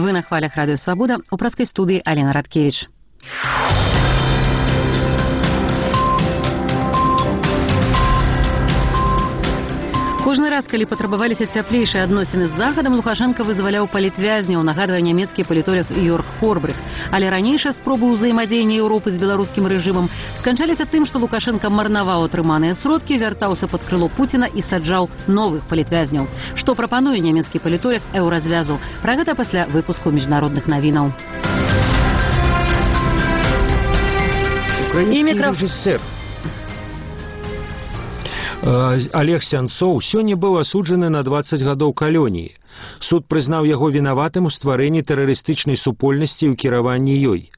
Вы на хвалях Радио Свобода, у праскай студыі Алена Радкевич. Кожны раз, калі патрабаваліся цяплейшыя адносіны з Захадам, Лукашенко вызваляў палітвязняў, нагадвае нямецкі палітолог Йорг Форбрых. Але ранейшыя спробы ўзаемадзеяння Еўропы з беларускім рэжымам сканчаліся тым, што Лукашенко марнаваў атрыманыя сродкі, вяртаўся пад крыло Пуціна і саджаў новых палітвязняў. Што прапануе нямецкі палітолог Еўразвязу? Пра гэта пасля выпуску міжнародных навінаў. Олег Сянцоў сёння быў асуджаны на 20 гадоў калоніі. Суд прызнаў яго вінаватым у стварэнні тэрарыстычнай супольнасці і ў кіраванні ёй.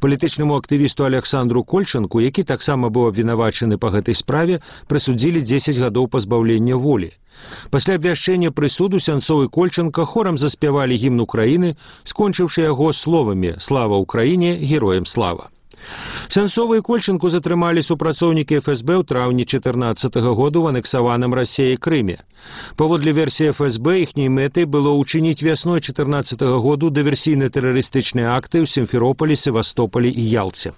Палітычнаму актывісту Александру Кольчанку, які таксама быў абвінавачаны па гэтай справе, прысудзілі 10 гадоў пазбаўлення волі. Пасля абвяшчэння прысуду Сянцоў і Кольчанка хорам заспявалі гімн Украіны, скончыўшы яго словамі «Слава Украіне, героям слава». Сянцова і Кольчанку затрымалі супрацоўнікі ФСБ ў траўні 2014 году ў анексаваным Расіяй Крыме. Паводле версіі ФСБ, іхняй мэтай было ўчыніць вясной 2014 году дыверсійна-тэрарыстычныя акты ў Сімферополі, Севастополі і Ялце.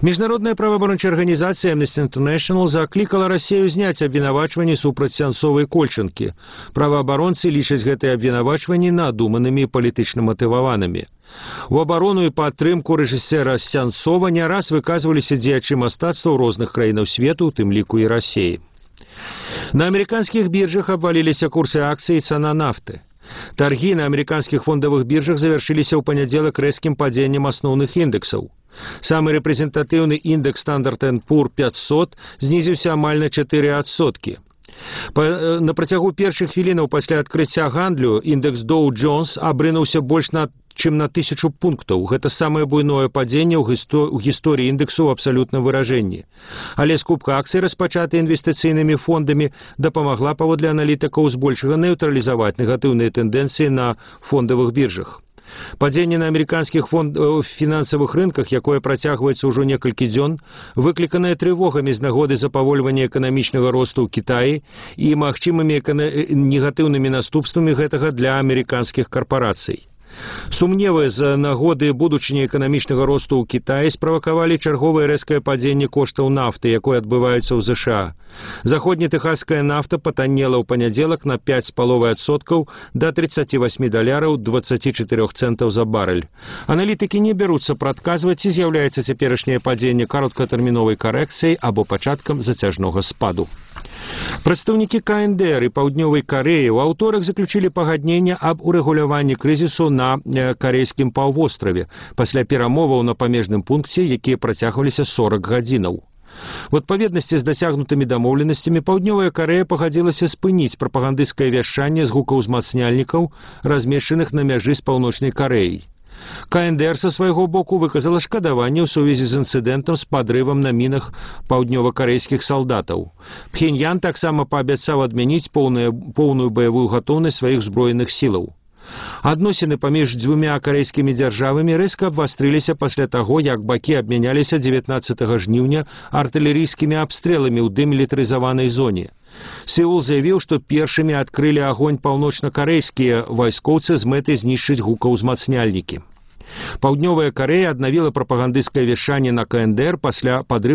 Міжнародная праваабарончая арганізацыя Amnesty International заклікала Расію зняць абвінавачванні супраць Сянцова і Кольчанкі. Праваабаронцы лічаць гэтыя абвінавачванні надуманымі і палітычна матываванымі. У абарону і падтрымку рэжысэра Сянцова не раз выказваліся дзеячы мастацтва ў розных краінаў свету, у тым ліку і Расіі. На амерыканскіх біржах абваліліся курсы акцый і цана нафты. Таргі на амерыканскіх фондавых біржах завяршыліся ў панядзелак рэзкім падзеннем асноўных індэксаў. Самы рэпрэзентатыўны індэкс Standard & Poor 500 знізіўся амаль на 4%. На працягу першых хвілінаў пасля адкрыцця гандлю індэкс Dow Jones абрынуўся больш чым на 1000 пунктаў. Гэта самае буйное падзенне ў гісторыі індэксу ў абсалютным выражэнні. Але скупка акцый, распачатая інвестыцыйнымі фондамі, дапамагла паводле аналітыкаў збольшага нейтралізаваць негатыўныя тэндэнцыі на фондавых біржах. Падзенне на амерыканскіх фінансавых рынках, якое працягваецца ўжо некалькі дзён, выкліканае трывогамі з нагоды запавольвання эканамічнага росту ў Кітаі і магчымымі негатыўнымі наступствамі гэтага для амерыканскіх карпарацый. Сумневы з нагоды будучыні эканамічнага росту ў Кітаі справакавалі чарговае рэзкае падзенне коштаў нафты, якое адбываецца ў ЗША. Заходнетэхасская нафта патаннела ў панядзелак на 5,5% да $30,24 за барэль. Аналітыкі не бяруцца прадказваць, ці з'яўляецца цяперашняе падзенне кароткатэрміновай карэкцыяй або пачаткам зацяжнога спаду. Прадстаўнікі КНДР і Паўднёвай Карэі ў аўторак заключілі пагадненне аб урэгуляванні крызісу на карэйскім паўвостраве пасля перамоваў на памежным пункце, якія працягваліся 40 гадзінаў. У адпаведнасці з дасягнутымі дамоўленасцямі Паўднёвая Карэя пагадзілася спыніць прапагандысцкае вяшчанне з гукаўзмацняльнікаў, размешчаных на мяжы з Паўночнай Карэяй. КНДР са свайго боку выказала шкадаванне ў сувязі з інцыдэнтам з падрывам на мінах паўднёвакарэйскіх салдатаў. Пхеньян таксама паабяцаў адмяніць поўную баявую гатоўнасць сваіх зброеных сілаў. Адносіны паміж дзвюмя карэйскімі дзяржавамі рэзка абвастрыліся пасля таго, як бакі абмяняліся 19 жніўня артылерыйскімі абстрэламі ў дэмілітарызаванай зоне. Сеул заявіў, што першымі адкрылі агонь паўночнакарэйскія вайскоўцы з мэтай знішчыць гукаўзмацняльнікі. Паўднёвая Карэя аднавіла прапагандысцкае вяшчанне на КНДР пасля падрыву